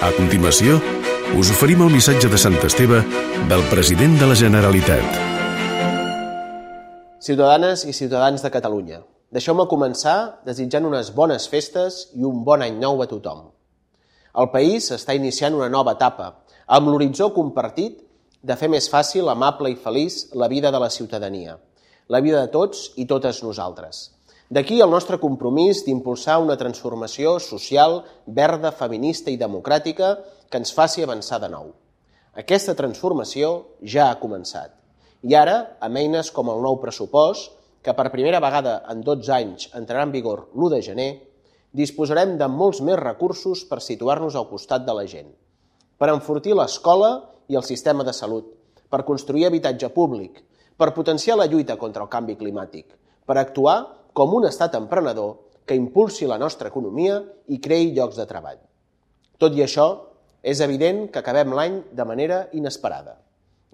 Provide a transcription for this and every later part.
A continuació, us oferim el missatge de Sant Esteve del president de la Generalitat. Ciutadanes i ciutadans de Catalunya, deixeu-me començar desitjant unes bones festes i un bon any nou a tothom. El país està iniciant una nova etapa, amb l'horitzó compartit de fer més fàcil, amable i feliç la vida de la ciutadania, la vida de tots i totes nosaltres. D'aquí el nostre compromís d'impulsar una transformació social, verda, feminista i democràtica que ens faci avançar de nou. Aquesta transformació ja ha començat. I ara, amb eines com el nou pressupost, que per primera vegada en 12 anys entrarà en vigor l'1 de gener, disposarem de molts més recursos per situar-nos al costat de la gent, per enfortir l'escola i el sistema de salut, per construir habitatge públic, per potenciar la lluita contra el canvi climàtic, per actuar com un estat emprenedor que impulsi la nostra economia i creï llocs de treball. Tot i això, és evident que acabem l'any de manera inesperada.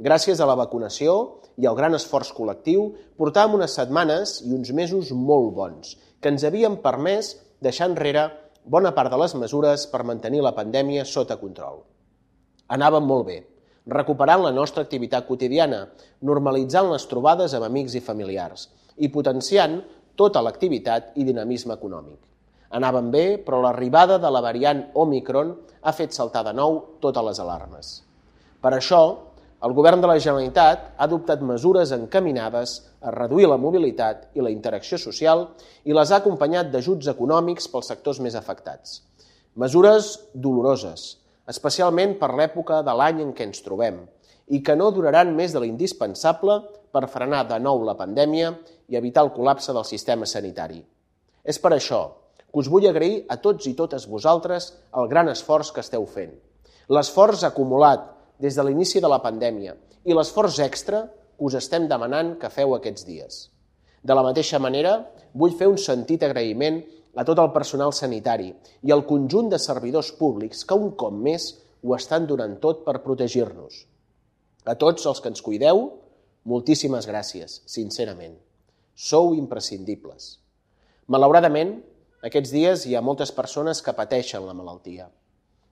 Gràcies a la vacunació i al gran esforç col·lectiu, portàvem unes setmanes i uns mesos molt bons, que ens havien permès deixar enrere bona part de les mesures per mantenir la pandèmia sota control. Anàvem molt bé, recuperant la nostra activitat quotidiana, normalitzant les trobades amb amics i familiars i potenciant tota l'activitat i dinamisme econòmic. Anàvem bé, però l'arribada de la variant Omicron ha fet saltar de nou totes les alarmes. Per això, el Govern de la Generalitat ha adoptat mesures encaminades a reduir la mobilitat i la interacció social i les ha acompanyat d'ajuts econòmics pels sectors més afectats. Mesures doloroses, especialment per l'època de l'any en què ens trobem, i que no duraran més de l'indispensable per frenar de nou la pandèmia i evitar el col·lapse del sistema sanitari. És per això que us vull agrair a tots i totes vosaltres el gran esforç que esteu fent, l'esforç acumulat des de l'inici de la pandèmia i l'esforç extra que us estem demanant que feu aquests dies. De la mateixa manera, vull fer un sentit agraïment a tot el personal sanitari i al conjunt de servidors públics que un cop més ho estan donant tot per protegir-nos. A tots els que ens cuideu, moltíssimes gràcies, sincerament. Sou imprescindibles. Malauradament, aquests dies hi ha moltes persones que pateixen la malaltia.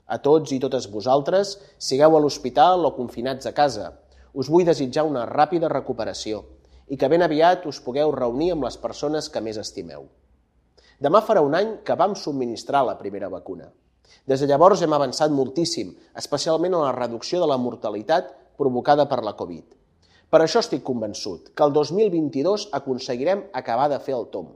A tots i totes vosaltres, sigueu a l'hospital o confinats a casa, us vull desitjar una ràpida recuperació i que ben aviat us pugueu reunir amb les persones que més estimeu. Demà farà un any que vam subministrar la primera vacuna. Des de llavors hem avançat moltíssim, especialment en la reducció de la mortalitat provocada per la Covid. Per això estic convençut que el 2022 aconseguirem acabar de fer el tomb,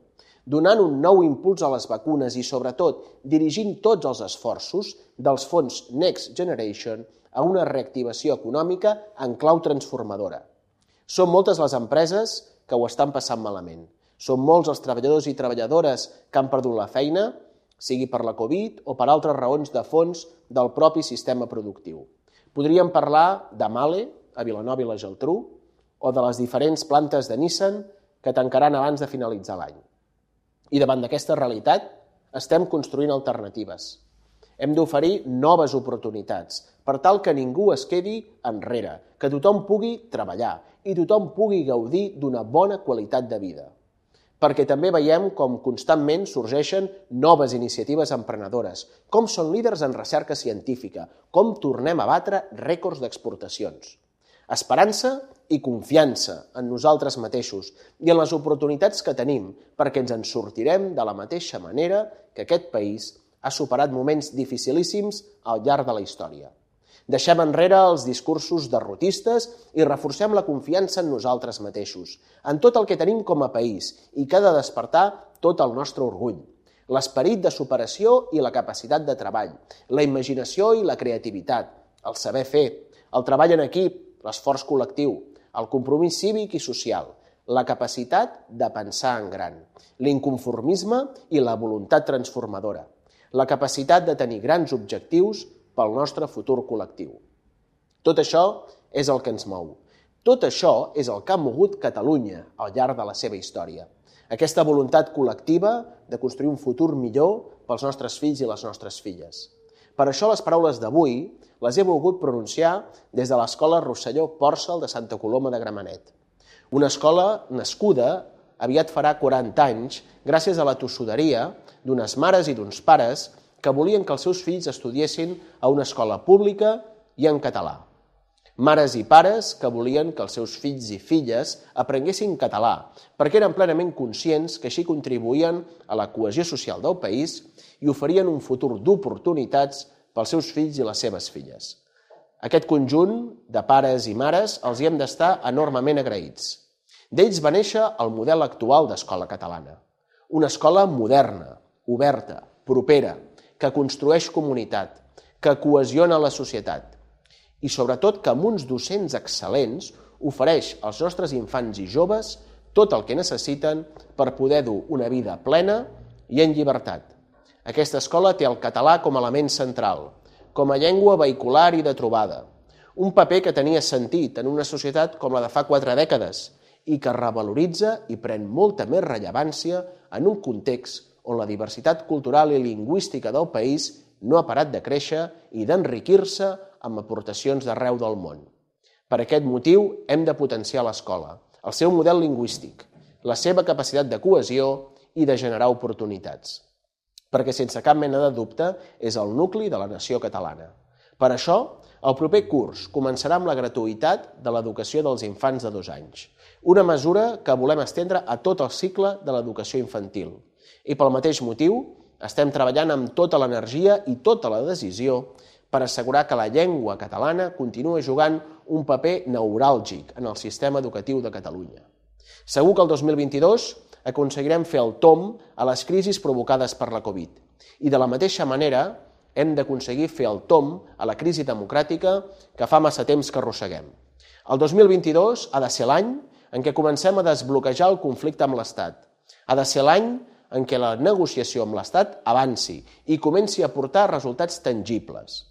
donant un nou impuls a les vacunes i, sobretot, dirigint tots els esforços dels fons Next Generation a una reactivació econòmica en clau transformadora. Són moltes les empreses que ho estan passant malament. Són molts els treballadors i treballadores que han perdut la feina, sigui per la Covid o per altres raons de fons del propi sistema productiu. Podríem parlar de Mahle, a Vilanova i la Geltrú, o de les diferents plantes de Nissan que tancaran abans de finalitzar l'any. I davant d'aquesta realitat estem construint alternatives. Hem d'oferir noves oportunitats per tal que ningú es quedi enrere, que tothom pugui treballar i tothom pugui gaudir d'una bona qualitat de vida. Perquè també veiem com constantment sorgeixen noves iniciatives emprenedores, com són líders en recerca científica, com tornem a batre rècords d'exportacions. Esperança i confiança en nosaltres mateixos i en les oportunitats que tenim perquè ens en sortirem de la mateixa manera que aquest país ha superat moments dificilíssims al llarg de la història. Deixem enrere els discursos derrotistes i reforcem la confiança en nosaltres mateixos, en tot el que tenim com a país i que ha de despertar tot el nostre orgull. L'esperit de superació i la capacitat de treball, la imaginació i la creativitat, el saber fer, el treball en equip, l'esforç col·lectiu, el compromís cívic i social, la capacitat de pensar en gran, l'inconformisme i la voluntat transformadora, la capacitat de tenir grans objectius pel nostre futur col·lectiu. Tot això és el que ens mou. Tot això és el que ha mogut Catalunya al llarg de la seva història. Aquesta voluntat col·lectiva de construir un futur millor pels nostres fills i les nostres filles. Per això les paraules d'avui les he volgut pronunciar des de l'Escola Rosselló Pòrcel de Santa Coloma de Gramenet. Una escola nascuda aviat farà 40 anys gràcies a la tossuderia d'unes mares i d'uns pares que volien que els seus fills estudiessin a una escola pública i en català. Mares i pares que volien que els seus fills i filles aprenguessin català, perquè eren plenament conscients que així contribuïen a la cohesió social del país i oferien un futur d'oportunitats pels seus fills i les seves filles. Aquest conjunt de pares i mares els hi hem d'estar enormement agraïts. D'ells va néixer el model actual d'escola catalana. Una escola moderna, oberta, propera, que construeix comunitat, que cohesiona la societat i sobretot que amb uns docents excel·lents ofereix als nostres infants i joves tot el que necessiten per poder dur una vida plena i en llibertat. Aquesta escola té el català com a element central, com a llengua vehicular i de trobada, un paper que tenia sentit en una societat com la de fa 4 dècades i que revaloritza i pren molta més rellevància en un context on la diversitat cultural i lingüística del país no ha parat de créixer i d'enriquir-se amb aportacions d'arreu del món. Per aquest motiu hem de potenciar l'escola, el seu model lingüístic, la seva capacitat de cohesió i de generar oportunitats, perquè sense cap mena de dubte és el nucli de la nació catalana. Per això, el proper curs començarà amb la gratuïtat de l'educació dels infants de 2 anys, una mesura que volem estendre a tot el cicle de l'educació infantil. I pel mateix motiu, estem treballant amb tota l'energia i tota la decisió per assegurar que la llengua catalana continua jugant un paper neuràlgic en el sistema educatiu de Catalunya. Segur que el 2022 aconseguirem fer el tomb a les crisis provocades per la Covid i de la mateixa manera hem d'aconseguir fer el tomb a la crisi democràtica que fa massa temps que arrosseguem. El 2022 ha de ser l'any en què comencem a desbloquejar el conflicte amb l'Estat. Ha de ser l'any en què la negociació amb l'Estat avanci i comenci a portar resultats tangibles.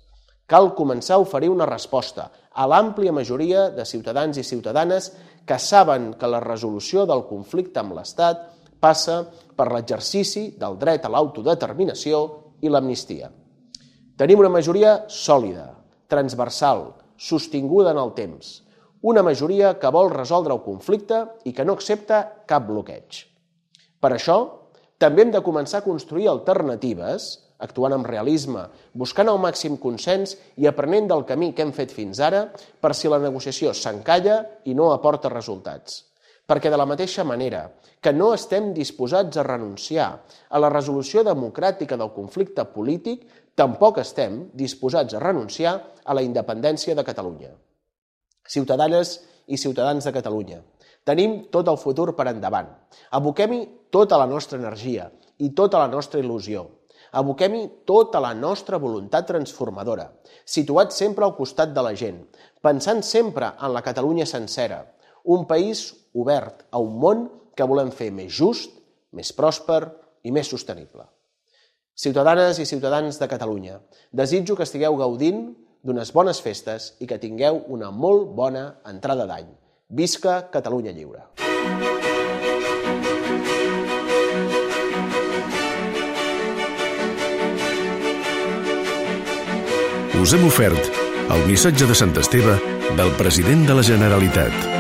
Cal començar a oferir una resposta a l'àmplia majoria de ciutadans i ciutadanes que saben que la resolució del conflicte amb l'Estat passa per l'exercici del dret a l'autodeterminació i l'amnistia. Tenim una majoria sòlida, transversal, sostinguda en el temps. Una majoria que vol resoldre el conflicte i que no accepta cap bloqueig. Per això, també hem de començar a construir alternatives, actuant amb realisme, buscant el màxim consens i aprenent del camí que hem fet fins ara per si la negociació s'encalla i no aporta resultats. Perquè de la mateixa manera que no estem disposats a renunciar a la resolució democràtica del conflicte polític, tampoc estem disposats a renunciar a la independència de Catalunya. Ciutadanes i ciutadans de Catalunya, tenim tot el futur per endavant. Aboquem-hi tota la nostra energia i tota la nostra il·lusió. Aboquem-hi tota la nostra voluntat transformadora, situats sempre al costat de la gent, pensant sempre en la Catalunya sencera, un país obert a un món que volem fer més just, més pròsper i més sostenible. Ciutadanes i ciutadans de Catalunya, desitjo que estigueu gaudint d'unes bones festes i que tingueu una molt bona entrada d'any. Visca Catalunya lliure! Us hem ofert el missatge de Sant Esteve del president de la Generalitat.